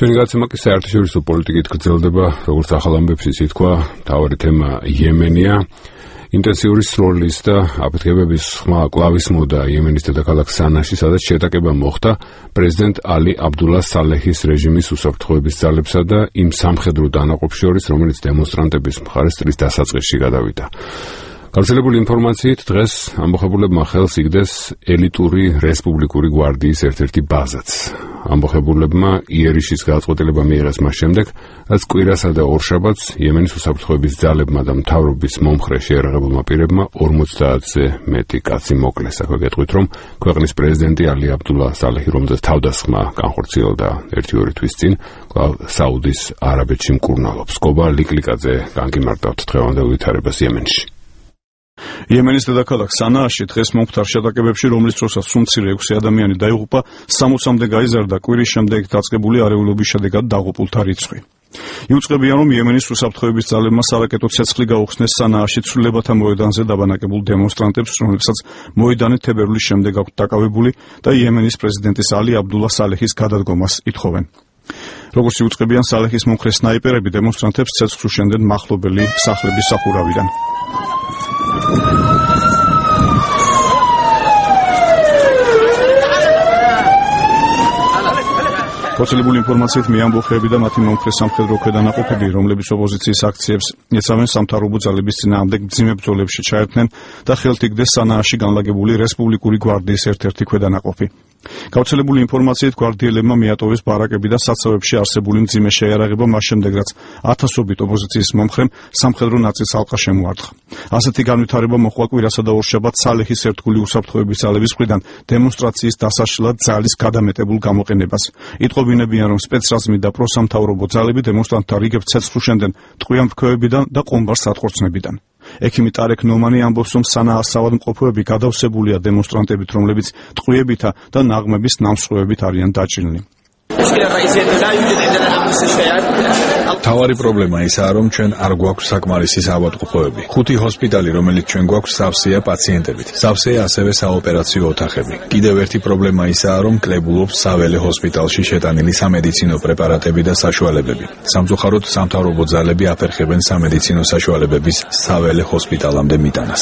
ჩვენი გაცემა კი საერთაშორისო პოლიტიკით გრძელდება, როგორც ახალ ამბებს ითქვა, მთავარი თემა იემენია. ინტენსიური სროლის და აფეთქებების ხმა კლავის მოდა იემენის დედაქალაქ სანაში, სადაც შეტაკება მოხდა პრეზიდენტ ალი აბდულა სალეჰის რეჟიმის უსაფრთხოების ძალებსა და იმ სამხედრო დანაყოფს შორის, რომელიც დემონსტრანტების მხარეს წლის დასაწყისში გადავიდა. გავრცელებული ინფორმაციით დღეს ამბოხებულებმა ხელს იგდეს ელიტური რესპუბლიკური გვარდიის ერთ-ერთი ბაზაც. ამბოხებულებმა იერიშის გადაწყვეტილება მიიღეს მას შემდეგ, რაც კვირასა და ორშაბათს იემენის უსაფრთხოების ძალებმა და მთავრობის მომხრე შეიარაღებულმა პირებმა 50-ზე მეტი კაცი მოკლეს. აქვე გეტყვით, რომ ქვეყნის პრეზიდენტი ალი აბდულა სალეჰი, რომელზეც თავდასხმა განხორციელდა 1-2 თვის წინ, კვლავ საუდის არაბეთში მკურნალობს. გობა ლიკლიკაძე, განგიმარტავთ დღევანდელ ვითარებას იემენში. იემენის დედაქალაქ სანააში დღეს მომხდარ შეტაკებებში, რომლის დროსაც სულ-მცირე 6 ადამიანი დაიღუპა, 60-მდე გაიზარდა კვირის შემდეგ დაწყებული არეულობის შედეგად დაღუპულთა რიცხვი. იუწყებიან, რომ იემენის უსაფრთხოების ძალებმა სარაკეტო ცეცხლი გაუხსნეს სანააში ცვლილებათა მოედანზე დაბანაკებულ დემონსტრანტებს, რომლებსაც მოედანი თებერვლის შემდეგ აქვთ დაკავებული და იემენის პრეზიდენტის ალი აბდულა სალეჰის გადადგომას ითხოვენ. როგორც იუწყებიან, სალეჰის მომხრე სნაიპერები დემონსტრანტებს ცეცხლს უშენდნენ მახლობელი სახლების სახურავიდან. გავრცელებული ინფორმაციით მეამბოხეები და მათი მომხრე სამხედრო ქვედანაყოფები, რომლებიც ოპოზიციის აქციებს ეწევენ სამთავრობო ძალების წინააღმდეგ მძიმე ბრძოლებში ჩაერთნენ და ხელთ იგდეს სანააში განლაგებული რესპუბლიკური გვარდიის ერთ-ერთი ქვედანაყოფი. გავრცელებული ინფორმაციით გვარდიელებმა მიატოვეს ბარაკები და საცავებში არსებული მძიმე შეიარაღება მას შემდეგ, რაც ათასობით ოპოზიციის მომხრემ სამხედრო ნაწილს ალყა შემოარტყა. ასეთი განვითარება მოჰყვა კვირასა და ორშაბათს სალეჰის ერთგული უსაფრთხოების ძალების მხრიდან დემონსტრაციის დასაშლად ძალის გადამეტებულ გამოყენებას. იტყობინებიან, რომ სპეცრაზმი და პროსამთავრობო ძალები დემონსტრანტთა რიგებს ცეცხლს უშენდნენ ტყვიან მრქვევებიდან და ყომბარ სატყორცნებიდან. ექიმი ტარეკ ნომანი ამბობს, რომ სანაას საავადმყოფოები გადავსებულია დემონსტრანტებით, რომლებიც ტყვიებითა და ნაღმების ნამსხვრევებით არიან დაჭრილნი. თავარი პრობლემა ისაა, რომ ჩვენ არ გვაქვს საკმარისი საავადმყოფოები. 5 ჰოსპიტალი, რომელიც ჩვენ გვაქვს, სავსეა პაციენტებით. სავსეა ასევე საოპერაციო ოთახები. კიდევ ერთი პრობლემა ისაა, რომ კლებულობს საველე ჰოსპიტალში შეტანილი სამედიცინო პრეპარატები და საშუალებები. სამწუხაროდ, სამთავრობო ძალები აფერხებენ სამედიცინო საშუალებების საველე ჰოსპიტალამდე მიტანას.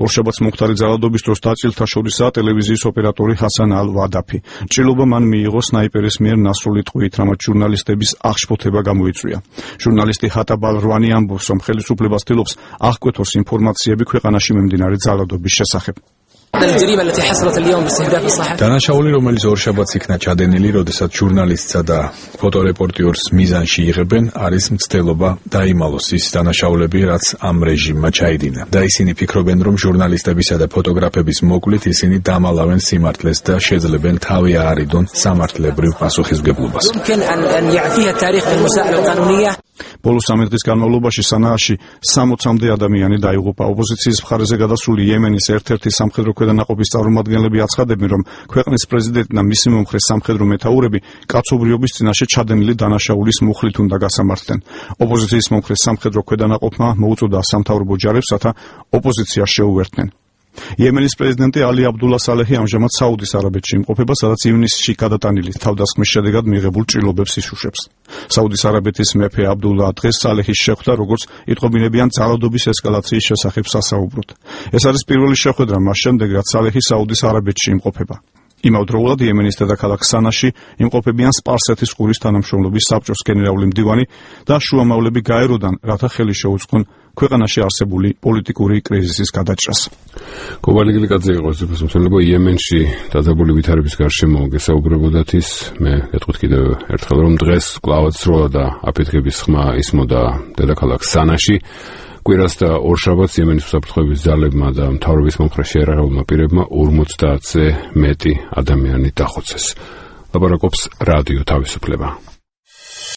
ორშაბათს მომხდარი ძალადობის დროს დაჭრილთა შორისაა ტელევიზიის ოპერატორი ჰასან ალ-ვადაფი. ჭრილობა მან მიიღო სნაიპერის მიერ ნასრული ტყვიით, რამაც ჟურნალისტების აღშფოთება გამოიწვია. ჟურნალისტი ჰატაბ ალ-რვანი ამბობს, რომ ხელისუფლება ცდილობს აღკვეთოს ინფორმაციები ქვეყანაში მიმდინარე ძალადობის შესახებ. დანაშაული, რომელიც ორშაბათს იქნა ჩადენილი, როდესაც ჟურნალისტსა და ფოტორეპორტიორს მიზანში იღებენ, არის მცდელობა დაიმალოს ის დანაშაულები, რაც ამ რეჟიმმა ჩაიდინა. და ისინი ფიქრობენ, რომ ჟურნალისტებისა და ფოტოგრაფების მოკლით ისინი დამალავენ სიმართლეს და შეძლებენ თავი აარიდონ სამართლებრივ პასუხისმგებლობას. ბოლო 3 დღის განმავლობაში სანააში 60-მდე ადამიანი დაიღუპა. ოპოზიციის მხარეზე გადასული იემენის ერთ-ერთი სამხედრო ქვედანაყოფის წარმომადგენლები აცხადებენ, რომ ქვეყნის პრეზიდენტი და მისი მომხრე სამხედრო მეთაურები კაცობრიობის წინაშე ჩადენილი დანაშაულის მუხლით უნდა გასამართლდნენ. ოპოზიციის მომხრე სამხედრო ქვედანაყოფმა მოუწოდა სამთავრობო ჯარებს, რათა ოპოზიციას შეუერთდნენ. იემენის პრეზიდენტი ალი აბდულა სალეჰი ამჟამად საუდის არაბეთში იმყოფება, სადაც ივნისში გადატანილი თავდასხმის შედეგად მიღებულ ჭრილობებს იშუშებს. საუდის არაბეთის მეფე აბდულა დღეს სალეჰის შეხვდა, როგორც იტყობინებიან, ძალადობის ესკალაციის შესახებ სასაუბროდ. ეს არის პირველი შეხვედრა მას შემდეგ, რაც სალეჰი საუდის არაბეთში იმყოფება. იმავდროულად იემენის დედაქალაქ სანაში იმყოფებიან სპარსეთის ყურის თანამშრომლობის საბჭოს გენერალური მდივანი და შუამავლები გაეროდან, რათა ხელი შეუწყონ ქვეყანაში არსებული პოლიტიკური კრიზისის გადაჭრას. გოვალიგლიკაძე იყო ზეპოსმცემლობა იემენში დაძაბული ვითარების გარშემო გესაუბრებოდათ ის. მე გეტყვით კიდევ ერთხელ, რომ დღეს კვლავაც სროლა და აფეთქების ხმა ისმოდა დედაქალაქ სანაში. კვირას და ორშაბათს იემენის უსაფრთხოების ძალებმა და მთავრობის მომხრე შეიარაღებულმა პირებმა 50-ზე მეტი ადამიანი დახოცეს. ლაპარაკობს რადიო თავისუფლება.